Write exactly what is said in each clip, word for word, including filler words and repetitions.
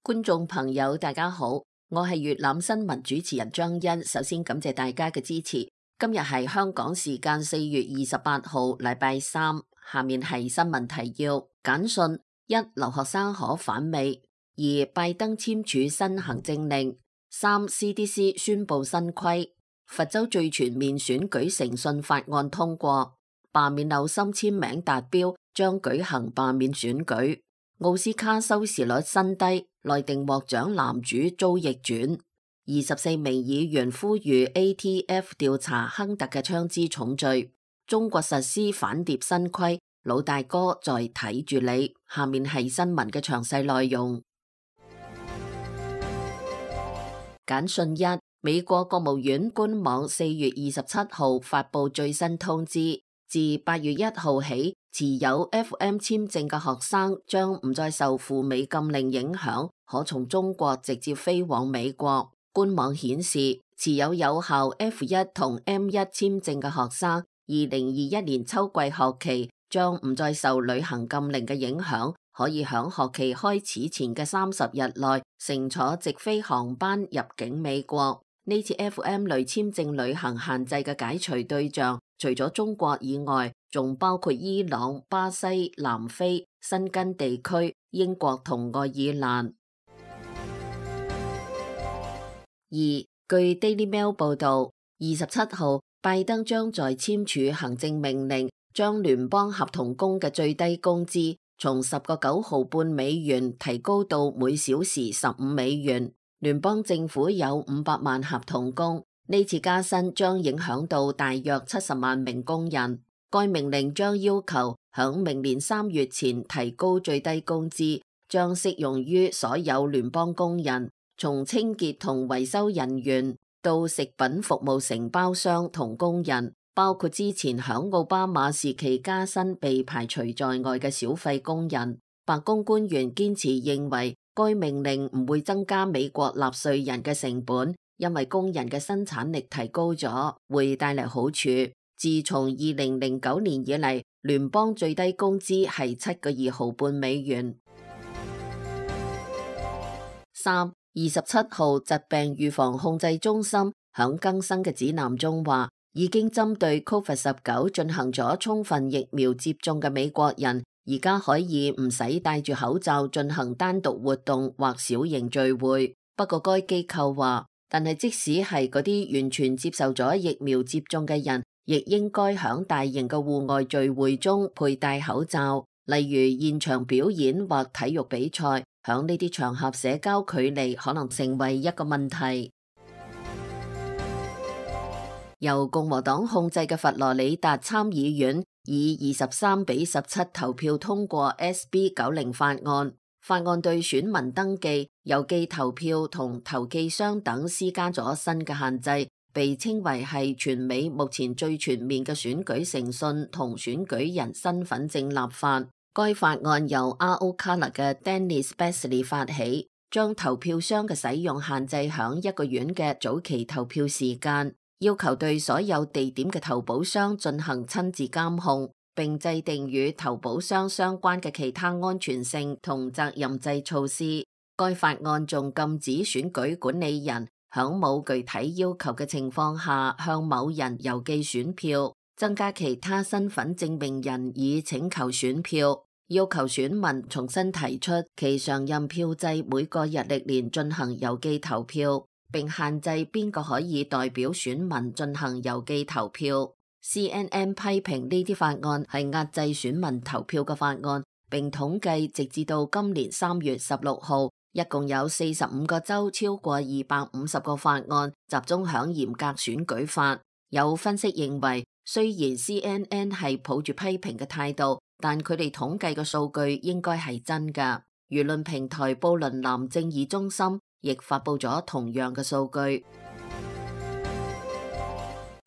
觀眾朋友大家好，我係粵覽新聞主持人張欣。首先感謝大家嘅支持。今日係香港時間四月二十八號，禮拜三。下面係新聞提要：簡訊一，留學生可返美；二，拜登簽署新行政令；三 ，C D C 宣布新規；佛州最全面選舉誠信法案通過；罷免紐森簽名達標，將舉行罷免選舉；奧斯卡收視率新低，內定獲獎男主遭逆轉；二十四名議員呼籲 A T F 調查亨特嘅槍支重罪；中國實施反諜新規，老大哥在睇住你。下面係新聞嘅詳細內容。簡訊一，美國國務院官網四月二十七號發布最新通知，自八月一號起，持有 F M 簽證嘅學生將唔再受赴美禁令影響，可從中國直接飛往美國。官網顯示，持有有效 F 一 同 M 一 簽證嘅學生，二零二一年秋季學期將唔再受旅行禁令嘅影響，可以響學期開始前嘅三十日內乘坐直飛航班入境美國。呢次 F M 類簽證旅行限制嘅解除對象，除咗中國以外，仲包括伊朗、巴西、南非、申根地區、英國同愛爾蘭。二，據 Daily Mail 報道，二十七號拜登將在簽署行政命令，將聯邦合同工嘅最低工資從十個九毫半美元提高到每小時十五美元。聯邦政府有五百萬合同工，呢次加薪將影響到大約七十萬名工人。該命令將要求響明年三月前提高最低工資，將適用於所有聯邦工人，從清潔同維修人員到食品服務承包商同工人，包括之前響奧巴馬時期加薪被排除在外嘅小費工人。白宮官員堅持認為，該命令唔會增加美國納稅人嘅成本，因為工人嘅生產力提高咗，會帶嚟好處。自從二零零九年以嚟，聯邦最低工資係七個二毫半美元。三，二十七號疾病預防控制中心響更新嘅指南中話，已經針對 Covid 十九 進行咗充分疫苗接種嘅美國人，而家可以唔使戴住口罩進行單獨活動或小型聚會。不過該機構話，但係即使係嗰啲完全接受咗疫苗接種嘅人，亦應該響大型嘅戶外聚會中佩戴口罩，例如現場表演或體育比賽。響呢啲場合，社交距離可能成為一個問題。由共和黨控制嘅佛羅里達參議院以二十三比十七投票通過 S B 九十法案。法案對選民登記、郵寄投票同投寄箱等施加咗新嘅限制，被稱為係全美目前最全面嘅選舉誠信同選舉人身份證立法。該法案由 R O Color 嘅 Dennis Baxley 發起，將投票箱嘅使用限制響一個月嘅早期投票時間，要求對所有地點嘅投保箱進行親自監控，並制定與投保箱相關嘅其他安全性同責任制措施。該法案仲禁止選舉管理人響冇具體要求嘅情況下向某人郵寄選票，增加其他身份證明人以請求選票，要求選民重新提出其常任票制每個日曆年進行郵寄投票，並限制邊個可以代表選民進行郵寄投票。C N N 批評呢啲法案係壓制選民投票嘅法案，並統計直至到今年三月十六號，一共有四十五個州超過二百五十個法案集中響嚴格選舉法。有分析認為，雖然 C N N 係抱住批評嘅態度，但佢哋統計嘅數據應該係真㗎。輿論平台布倫南正義中心亦發佈咗同樣嘅數據。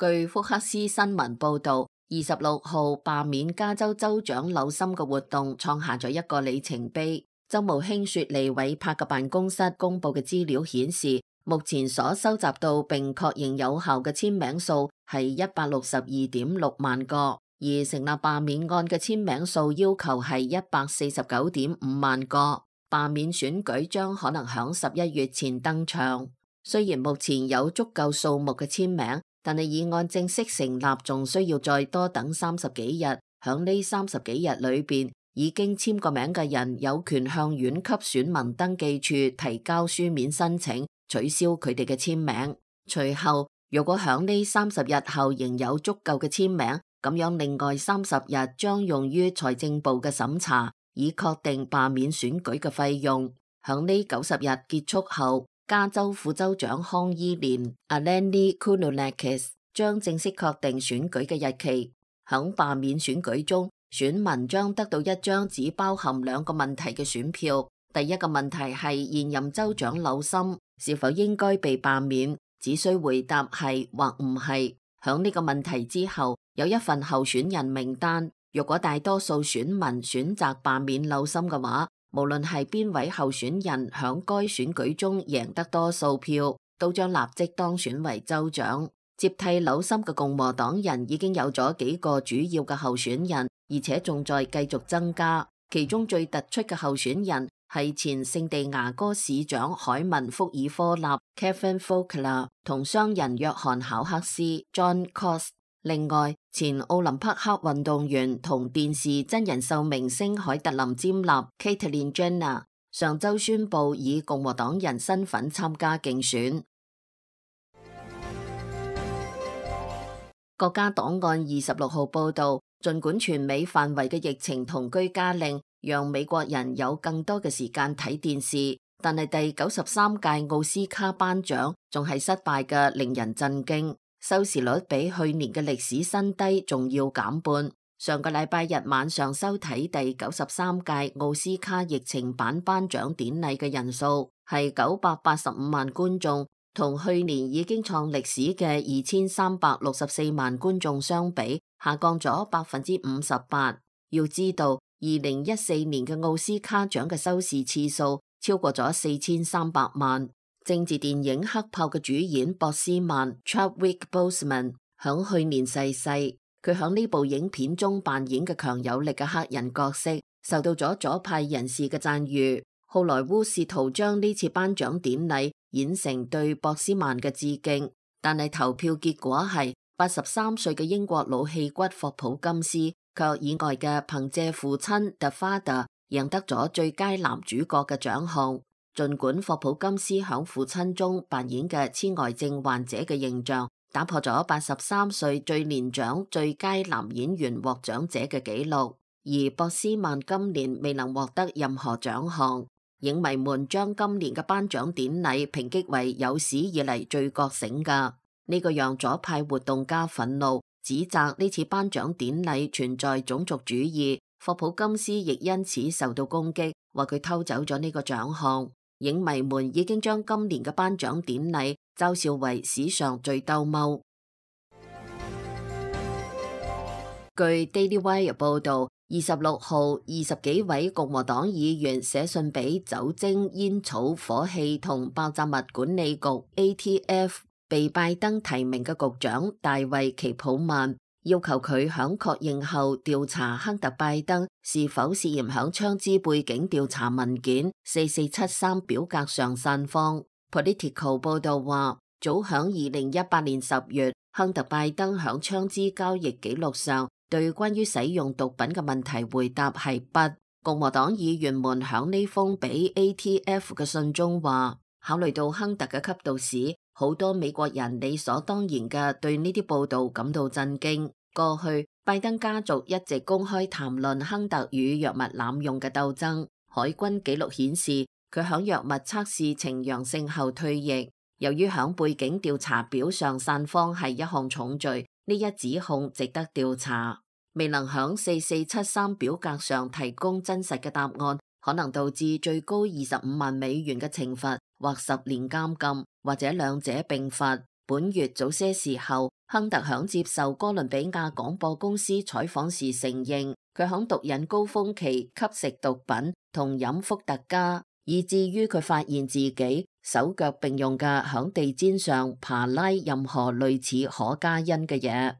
據福克斯新聞報導，二十六號罷免加州州長紐森嘅活動創下咗一個里程碑。州務卿雪莉韋柏嘅辦公室公佈嘅資料顯示，目前所收集到並確認有效嘅簽名數係一百六十二點六萬個，而成立罷免案嘅簽名數要求係一百四十九點五萬個。罷免選舉將可能響十一月前登場。雖然目前有足夠數目嘅簽名，但係議案正式成立仲需要再多等三十幾日。響呢三十幾日裏邊，已經簽過名嘅人有權向縣級選民登記處提交書面申請，取消佢哋嘅簽名。隨後，如果響呢三十日後仍有足夠嘅簽名，咁樣另外三十日將用於財政部嘅審查，以確定罷免選舉嘅費用。響呢九十日結束後，加州副州長康伊蓮 Alani Kounalakis 將正式確定選舉嘅日期。響罷免選舉中，選民將得到一張只包含兩個問題嘅選票。第一個問題係現任州長紐森是否應該被罷免，只需回答係或唔係。響呢個問題之後，有一份候選人名單。如果大多數選民選擇罷免紐森嘅話，無論係邊位候選人響該選舉中贏得多數票，都將立即當選為州長。接替紐森嘅共和黨人已經有咗幾個主要嘅候選人，而且仲在繼續增加。其中最突出嘅候選人係前聖地牙哥市長海文福爾科納 Kevin Faulconer 同商人約翰考克斯 John Cost。另外，前奧林匹克運動員同電視真人秀明星海特琳詹納 Caitlyn Jenner 上周宣布以共和黨人身份參加競選。國家檔案二十六號報道，儘管全美範圍嘅疫情同居家令讓美國人有更多嘅時間睇電視，但係第九十三屆奧斯卡頒獎仲係失敗嘅，令人震驚。收視率比去年嘅歷史新低仲要減半。上個禮拜日晚上收睇第九十三屆奧斯卡疫情版頒獎典禮嘅人數係九百八十五萬觀眾，同去年已經創歷史嘅二千三百六十四萬觀眾相比，下降咗百分之五十八。要知道，二零一四年嘅奧斯卡獎嘅收視次數超過咗四千三百萬。政治電影《黑豹》嘅主演博斯曼 Chadwick Boseman 響去年逝世，佢響呢部影片中扮演嘅強有力嘅黑人角色，受到咗左派人士嘅讚譽。好萊塢試圖將呢次頒獎典禮演成對博斯曼嘅致敬，但係投票結果係八十三歲嘅英國老戲骨霍普金斯卻意外嘅憑借父親 The Father 贏得咗最佳男主角嘅獎項。儘管霍普金斯響父親中扮演嘅痴呆症患者嘅形象，打破咗八十三歲最年長最佳男演員獲獎者嘅紀錄，而博斯曼今年未能獲得任何獎項。影迷們將今年嘅頒獎典禮評擊為有史以嚟最覺醒㗎，呢個讓左派活動家憤怒，指責呢次頒獎典禮存在種族主義。霍普金斯亦因此受到攻擊，話佢偷走咗呢個獎項。影迷們已經將今年嘅頒獎典禮嘲笑為史上最兜踎。據 Daily Wire 報道，二十六號二十幾位共和黨議員寫信俾酒精、煙草、火器同爆炸物管理局 A T F 被拜登提名嘅局長大衛奇普曼，要求佢響確認後調查亨特拜登是否涉嫌響槍支背景調查文件四四七三表格上散謊。Political 報道話，早響二零一八年十月，亨特拜登響槍支交易記錄上對關於使用毒品嘅問題回答係不。共和黨議員們響呢封俾 A T F 嘅信中話，考慮到亨特嘅吸毒史，好多美國人理所當然嘅對呢啲報道感到震驚。過去，拜登家族一直公開談論亨特與藥物濫用嘅鬥爭。海軍記錄顯示，佢響藥物測試呈陽性後退役。由於響背景調查表上散謊係一項重罪，呢一指控值得調查。未能響四四七三表格上提供真實嘅答案，可能導致最高二十五萬美元嘅懲罰，或十年監禁，或者兩者並罰。本月早些時候，亨特響接受哥倫比亞廣播公司採訪時承認，佢響毒癮高峰期吸食毒品同飲伏特加，以至於佢發現自己手腳並用嘅響地氈上爬拉任何類似可卡因嘅嘢。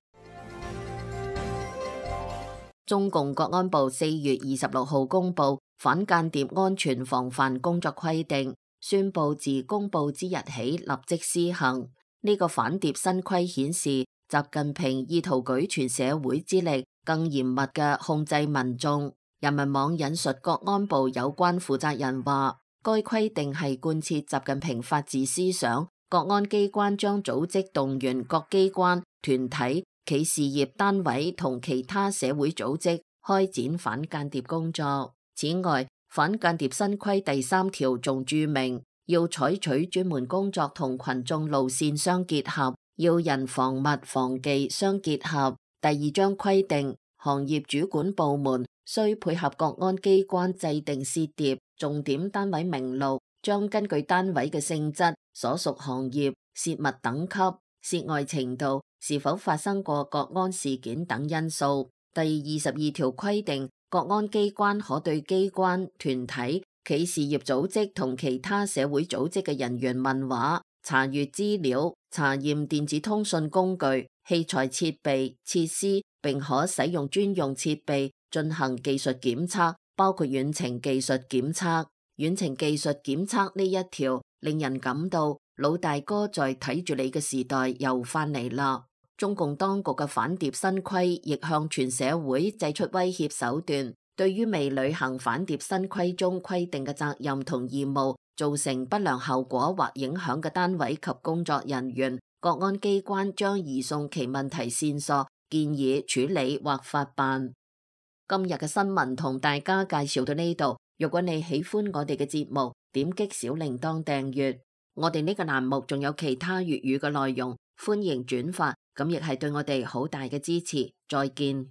中共國安部四月二十六號公布，反間諜安全防範工作規定，宣布自公布之日起立即施行。呢、這個反諜新規顯示，習近平意圖舉全社會之力，更嚴密嘅控制民眾。人民網引述國安部有關負責人話，該規定係貫徹習近平法治思想。國安機關將組織動員各機關、團體、企事業單位同其他社會組織開展反間諜工作。此外，反間諜新規第三條仲注明，要採取專門工作同群眾路線相結合，要人防物防技相結合。第二章規定，行業主管部門需配合國安機關制定涉諜重點單位名錄，將根據單位嘅性質、所屬行業、涉密等級、涉外程度、是否發生過國安事件等因素。第二十二條規定，國安機關可對機關、團體、企事業組織同其他社會組織嘅人員問話、查閱資料、查驗電子通訊工具、器材設備、設施，並可使用專用設備進行技術檢測，包括遠程技術檢測。遠程技術檢測呢一條令人感到老大哥在睇住你嘅時代又翻嚟啦。中共當局嘅反諜新規亦向全社會祭出威脅手段，對於未履行反諜新規中規定嘅責任同義務，造成不良後果或影響嘅單位及工作人員，國安機關將移送其問題線索，建議處理或法辦。今日嘅新聞同大家介紹到呢度。如果你喜歡我哋嘅節目，點擊小鈴鐺訂閱。我哋呢個欄目仲有其他粵語嘅內容，歡迎轉發，咁亦係對我哋好大嘅支持。再見。